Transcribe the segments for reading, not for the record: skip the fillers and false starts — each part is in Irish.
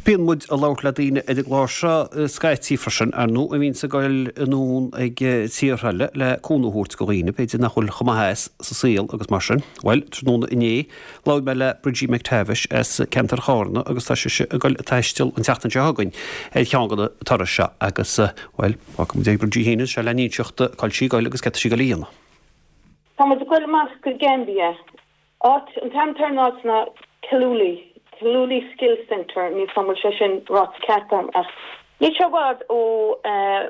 Bíonn muid ag labhairt le daoine ar an gclár seo scaití freisin, ar ndóigh, a bhíonns ag goil anonn ag tíortha eile le cúnamh a thabhairt do dhaoine, b'fhéidir nach bhfuil chomh maith as sa saol agus mar sin. Bhuel, tráthnóna inné, labhair mé le Bridgie McTavish as ceantar Chárna agus tá sise ag goil ag taisteal an tseachtain seo chugainn ar cheann de na turais seo agus, bhuel, fágfaidh muid ag Bridgie féin anseo lena inseacht cá bhfuil sí ag goil agus céard tá sí ag goil a dhéanamh. Tá muid ag goil amach go Gambia. Áit, an t-ainm atá ar an áit ná Kiluli, Kiluli Skills Centre, níl 's a'm bhfuil sé sin ráite ceart a'm ach níl sé i bhfad ó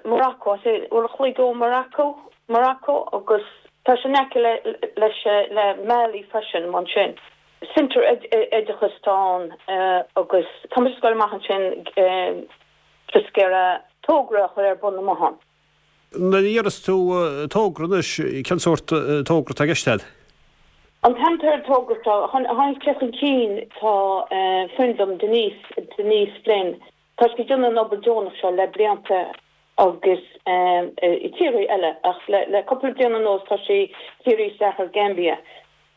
Morocco, I'd say uair a chloig ó Morocco, Morocco agus tá sé in aice le, leis, le Mali freisin, ansin. Centre oideachais atá ann agus tá muid ag goil amach ansin just ag iarraidh togra a chur ar bun amuigh ann. Nuair a deireas tú togra anois, cén sórt togra atá i gceist agat? An t-ainm atá ar an togra seo, tháinig sé chun cinn, tá friend dom, Denise, Denise Flynn, tá sí ag déanamh an obair deonach seo le blianta agus i tíortha eile ach le cúpla bliain anuas tá sí dírithe isteach ar Gambia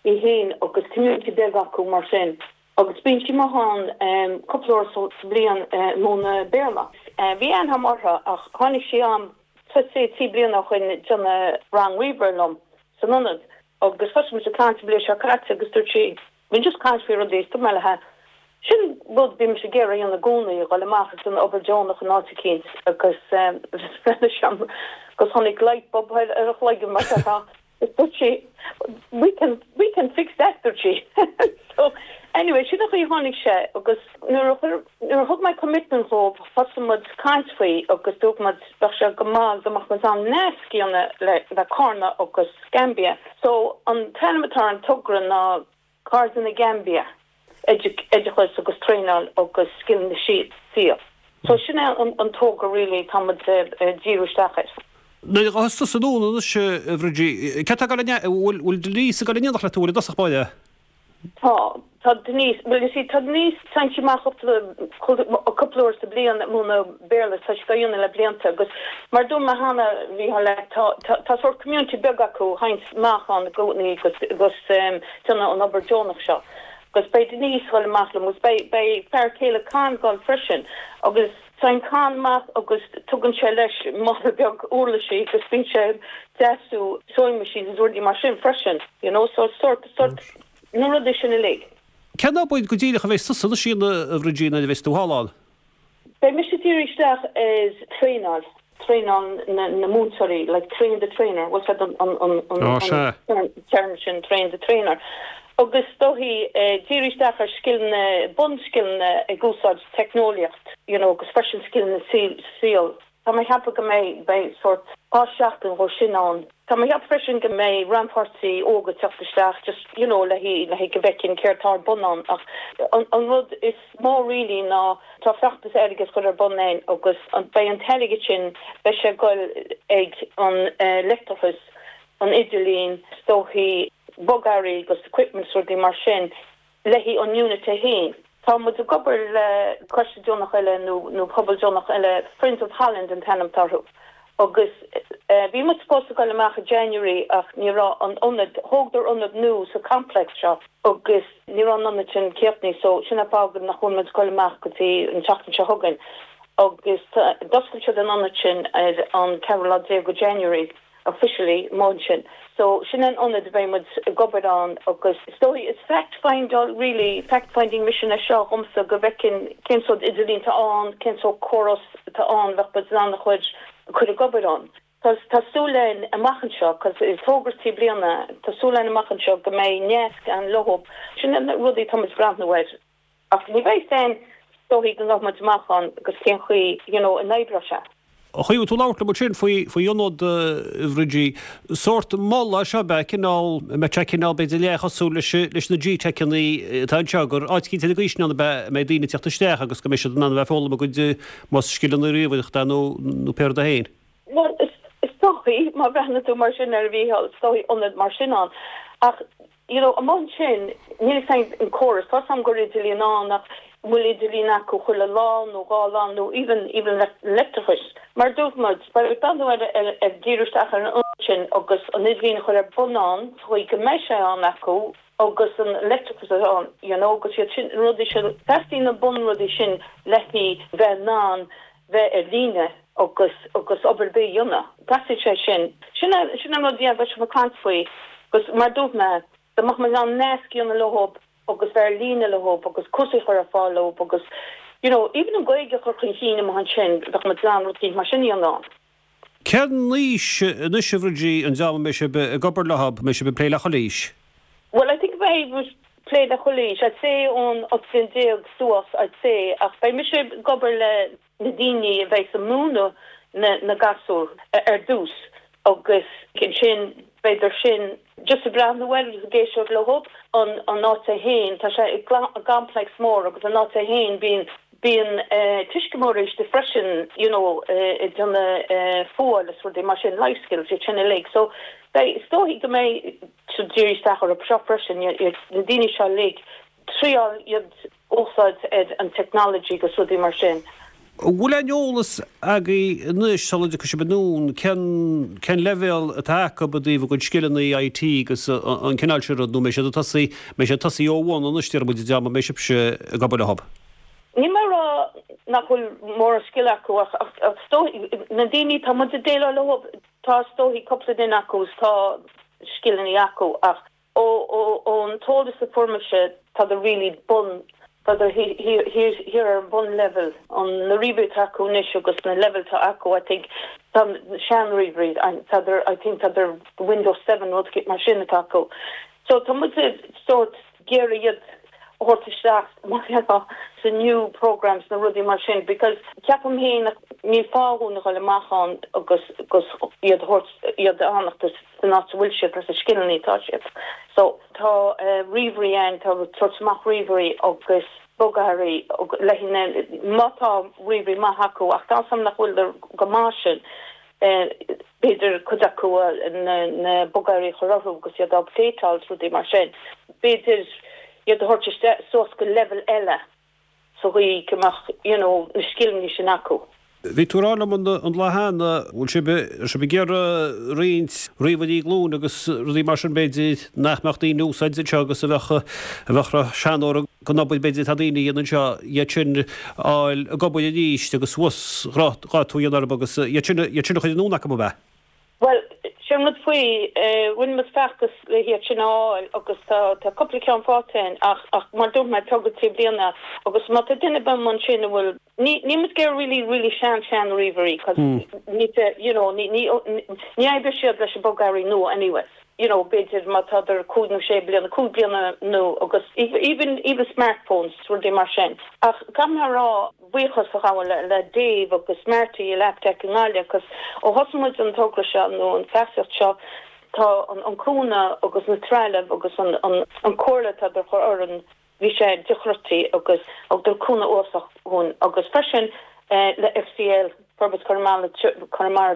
í féin agus community beag acu mar sin. Agus bíonn sí amuigh ann cúpla uair sa bhliain ag múineadh Béarla. Bhí aithne agam uirthi ach tháinig sí a'm trí bliana ó shoin ag déanamh rang ríomhaire liom san ionad agus thosaigh muid ag caint an bhliain seo caite agus dúirt sí, bhí just caint faoi rudaí is dúirt mé léi, sin rud a bhí mise ag iarraidh a dhéanamh i gcónaí, a dhul amach ag déanamh obair deonach in áit eicínt agus bhreathnaigh sí orm agus tháinig light bulb ar a chloigeann mar déarfá. Dúirt sí, we can, we can fix that, dúirt sí. So, anyway, sin an chaoi a tháinig sé agus nuair a chuir, nuair a thug mé commitment dhóibh, thosaigh muid caint faoi agus dúirt muid bheadh sé go maith dá mbeadh muid in ann nasc a dhéanamh le, le Carna agus Gambia. So, an t-ainm atá ar an togra ná Cairde na Gaimbia, oideachas agus traenáil agus scileanna saoil. So sin é an togra really atá muid ag díriú isteach air. Nuair a ghabhfas tusa anonn anois, a Bhridgie, cé atá ag dul in, bhfuil Denise ag dul in éineacht leat, an bhfuil i dtosach báire? Tá, tá Denise, bhuel you see tá Denise, téann sí amach cúpla uair sa bliain ag múineadh Béarla, tá sí á dhéanamh le blianta agus mar a dúirt mé cheana, a Mhícheáil, tá, tá sórt community beag acu, théann amach ann i gcónaí agus, agus déanamh an obair deonach seo agus beidh Denise ag dul amach liom agus beidh, beidh fear céile Con ag dul freisin agus téann Con amach agus tugann sé leis mála beag uirlisí agus bíonn sé ag deasú sewing machines agus rudaí mar sin freisin, you know, so sórt, sórt na rudaí sin uilig. Cén obair go díreach a bheas tusa anois a dhéanamh a Bhridgie nuair a bheas tú thall ann? Beidh mise ag díriú isteach ar traenáil, traenáil na múinteoirí, like train the trainer, bhfuil 's a'd an term sin, train the trainer. Agus is dóichí díriú isteach ar scileanna, bunscileanna ag úsáid teicneolaíocht, you know, agus freisin scileanna saoil. Tá mé ag ceapadh go mbeidh, beidh sórt 2 seachtain dhó sin ann. Tá mé ag ceapadh freisin go mbeidh rannpháirtí óga ag teacht isteach just you know le haghaidh, le haghaidh go bhfeiceann céard tá ar bun ann ach an, an rud is mó really ná tá feachtas airgid curtha ar bun againn agus an, beidh an t-airgead sin, beidh sé ag goil ag an leictreachas, an idirlíon, is dóichí bogearraí agus equipment is rudaí mar sin. Le haghaidh an unit é féin. Tá muid ag obair le coiste deonach eile nó pobal deonach eile, Friends of Holland an t-ainm atá orthu, agus bhí muid supposed to goil amach i January ach ní raibh an ionad, thógadar ionad nua sa complex seo agus ní raibh an ionad sin críochnaithe so sin an fáth nach bhfuil muid ag goil amach go dtí an tseachtain seo chugainn agus d'oscail siad an ionad sin ar an ceathrú lá déag de January. officially amuigh ansin. So sin an ionad a bheidh muid ag obair ann agus is dóigh is fact find really fact finding mission é seo dhomsa go bhfeicfinn cén sórt idirlíon atá ann, cén sórt córas atá ann bheadh muid in ann a chur cur ag obair ann. Tá tá súil againn amach anseo cos is togra trí bliana tá súil againn amach anseo go mbeidh nasc ann leo. Sin na rudaí atá muid ag breathnú air. Ach ní bheidh fhios againn is dóichí go ngabhfaidh muid amach ann agus cén chaoi you know a n-oibreoidh sé. An chaoi a bhfuil tú ag labhairt liom ansin faoi, faoi ionad a Bhridgie, sórt mol é seo ab ea, cineál, an mbeidh sé cineál b'fhéidir leathchosúil leis, leis na G-Teicheanna atá anseo, gur áit eicínt ar an gcaoi sin ann ab ea a mbeidh daoine ag teacht isteach agus go mbeidh siad in ann a bheith ag foghlaim a gcuid, más scileanna ríomhaireachta nó, nó pé rud é féin. Bhuel, is dóichí, má bhreathnaíonn tú mar sin air a Mhícheáil, is dóichí ionad mar sin ann. Ach You know, amuigh ansin, níl fhios a'inn an córas, tá 'fhios a'm go bhfuil idirlíon ann ach an bhfuil idirlíon acu chuile lá nó dhá lá nó even, even leictreachas. Mar a dúirt muid, beidh ag breathnú ar, ar, ar díriú isteach ar an ionad sin agus an idirlíon a chur ar bun ann sa chaoi go mbeidh sé ann acu. Agus an leictreachas atá ann, you know, agus iad sin, na rudaí sin, teastaíonn na bunrudaí sin le haghaidh bheith in ann bheith ar líne agus, agus obair ar bith a dhéanamh. Teastaíonn sé sin. Sin é, sin an rud, yeah, beidh sibh ag caint faoi. Agus mar dúirt mé, dá mbeadh muid in ann nasc a dhéanamh leo agus bheith ar líne leo agus cúrsaí a chur ar fáil leo agus, you know, even an Ghaeilge a chur chun cinn amuigh ansin, bheadh muid in ann rud éicint mar sin a dhéanamh ann. Cén aois anois a Bhridie an dream a mbeidh sibh ag obair leo, mbeidh sibh ag plé le chuile aois? Well I think beidh muid ag plé le chuile aois, I'd say ón 18 bliain suas I'd say ach beidh mise ag obair le na daoine a bheidh ag múineadh na na gasúir ar dtús agus ansin b'fhéidir sin just ag breathnú air agus ag éisteacht leo an an áit é féin tá sé i gcomplex mór agus an áit é féin bíonn Bíonn tuismitheoirí istigh freisin you know ag déanamh fuáil is rudaí mar sin, life skills, iad sin uilig. So beidh, is dóichí go mbeidh siad ag díriú isteach orthu seo freisin, na daoine seo uilig, triáil iad úsáid ar an technology agus rudaí mar sin. An bhfuil aon eolas agaibh anois sula dtiocfaidh sibh anonn cén cén leibhéal atá acu i dtaobh a gcuid scileanna IT agus an cineál sin rud nó mbeidh siad ag tosaí mbeidh siad ag tosaí ó bhun anois déarfaidh muid an dream a mbeidh sibhse ag obair leo? Níl mé ag rá nach bhfuil mórán scil acu ach is dóichí na daoine tá muid ag déileáil leo tá is dóichí cúpla duine acu is tá scileanna acu ach ón t-eolas a fuair mise tádar really bun tádar thiar thiar ar an bun level an na ríomhairí atá acu anois agus na level atá acu I think tá sean ríomhairí tádar I think tádar Windows 7 rud mar sin atá acu so tá muid sórt ag iarraidh iad a thabhairt isteach mar gheall sa new programs na rudaí mar sin because ceapaim féin níl fáth dhúinn a dhul amach ann agus agus iad a thabhairt iad a fhanacht san áit a bhfuil siad leis na scileanna atá siad. So tá ríomhairí ann, tá tabhairt amach ríomhairí agus bogearraí le na má tá ríomhairí maith acu ach tá a fhios agam nach bhfuil go maith sin b'fhéidir cuid acu na bogearraí a chur orthu agus iad á updateáil is rudaí mar sin. B'fhéidir iad a thabhairt isteach suas go leibhéal eile sa gcaoi go mbeadh you know na scileanna sin acu. Bhí tú ag rá liom an lá cheana, bhfuil sibh, sibh ag iarraidh roinnt ríomhairí glúine agus rudaí mar sin b'fhéidir nach mbeadh daoine ag úsáid anseo agus a bheadh, a bheadh seanóir den obair b'fhéidir atá daoine a dhéanamh anseo, iad sin a fháil ag obair arís agus uasghrádú a dhéanamh orthu agus iad sin, iad sin a chur anonn acu ab ea? Bhuel, sin rud faoi, rinne muid feachtas le hiad sin a fháil agus tá tá cúpla ceann faighte againn ach ach mar dúirt mé, togra trí bliana agus má tá duine ar bith ansin a bhfuil, ní níl muid ag iarraidh really really sean sean ríomhairí cos ní you know ní ní ní oibreoidh siad leis an bogearraí nua anyways. You know b'fhéidir má tádar cúig nó sé bliana, cúig bliana nó agus even even smartphones rudaí mar sin. Ach caithfidh mé a rá buíochas a ghabháil le Dave agus Marty i Labtech i nGaillimh cos ó thosaigh muid an togra seo nó an feasacht seo tá an cúnamh agus na trealamh agus an an comhairle atá á chur orainn bhí sé dochreidte agus thugadar cúnamh uafásach dhúinn agus freisin le FCL Forbairt Chonamara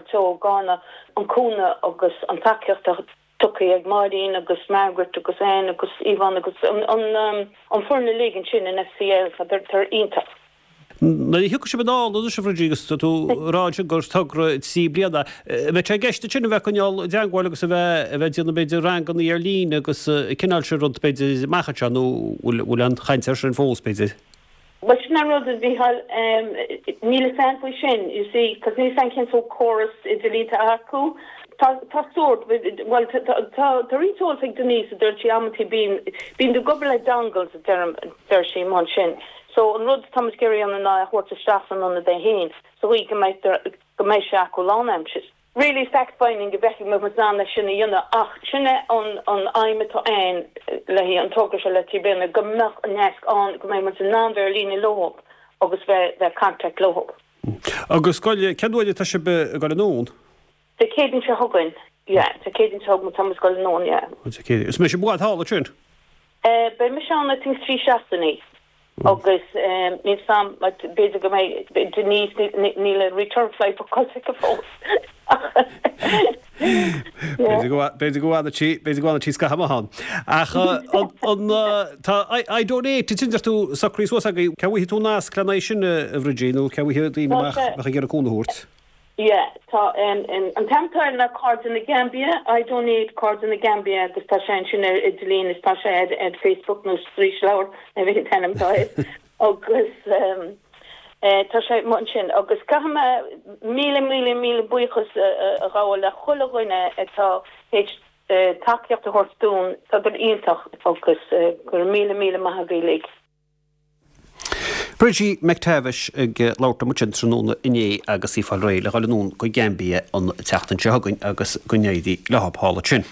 Teo i gCarna an cúnamh agus an tacaíocht a tugtha ag Máirín agus Margaret agus Anne agus Yvonne agus an foireann uilig ansin in FCL, tá siad iontach. Nuair a thiocfaidh sibh anall anois a Bhridie agus tá tú ag rá ansin gur togra 3 bliana, an mbeidh sé i gceist ansin a bheith ag coinneáil i dteangmháil agus a bheith a bheith ag déanamh b'fhéidir ranganna ar líne agus an cineál sin rud b'fhéidir amach anseo nó bhfuil bhfuil aon chaint air sin fós b'fhéidir? Bhuel sin an rud a Mhícheáil, níl a fhios a'm faoi sin, you see, cos níl a fhios a'm cén sórt córas idirlíonta acu. Tá, tá sórt, bhuel tá, tá, tá roinnt eolas ag Denise a deir sí amantaí bíonn, bíonn tú ag obair le dongles a deirim, deir sí amuigh ansin. So an rud atá muid ag iarraidh a dhéanamh ná é a thabhairt isteach san ionad é féin sa gcaoi go mbeidh, go mbeidh sé acu lánaimseartha. Really fact finding go bhfeicfidh muid in ann é sin a dhéanamh ach sin é an an aidhm atá ann le an togra seo le trí bliana go mbeadh an nasc ann go mbeidh muid in ann bheith ar líne leo agus bheith bheith contact leo. Agus goil, cén uair atá sibh ag goil anonn? Dé Céadaoin seo chugainn, yeah, Dé Céadaoin seo chugainn tá muid ag goil anonn, yeah. Dé Céadaoin. Is mbeidh sibh i bhfad thall ansin? Beidh mise ann I think 3 seachtainí agus níl 's a'm b'fhéidir go mbeidh Denise níl a return flight bookáilte aici fós. B'fhéidir go b'fhéidir go bhfanfaidh sí b'fhéidir go bhfanfaidh sí scaitheamh amach ann. Ach an tá iDonate ansin deir tú socraithe suas agaibh cá bhfaighidh tú nasc lena aghaidh sin a Bhridie nó cá bhfaighidh daoine amach bheadh ag iarraidh cúnamh a thabhairt? Yeah, tá an t-ainm atá air ná Cairde na Gaimbia, I Donate Cairde na Gaimbia agus tá sé ansin ar idirlíon is tá sé ar ar Facebook nó Straoisleabhar nó cibé an t-ainm atá air agus tá sé amuigh ansin agus caithfidh mé míle míle míle buíochas a ghabháil le chuile dhuine atá théis tacaíocht a thabhairt dúinn, tá siad iontach agus go raibh míle míle maith agaibh uilig. Bridgie McTavish ag labhairt liom ansin tráthnóna inné agus í ag fáil réidh le dhul anonn go Gambia an tseachtain seo chugainn agus go n-éirí leo thall ansin.